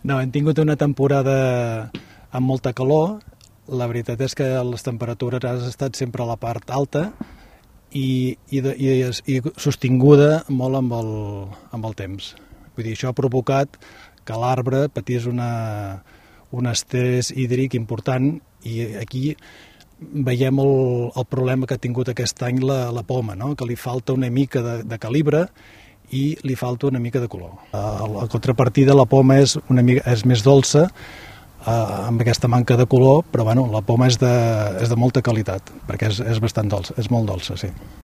No, hem tingut una temporada amb molta calor. La veritat és que les temperatures han estat sempre a la part alta i sostinguda molt amb el temps. Vull dir, això ha provocat que l'arbre patís un estrès hídric important i aquí veiem el problema que ha tingut aquest any la poma, no? Que li falta una mica de calibre i li falta una mica de color. La contrapartida, la poma és més dolça, amb aquesta manca de color, però bueno, la poma és de molta qualitat, perquè és bastant dolça, és molt dolça, sí.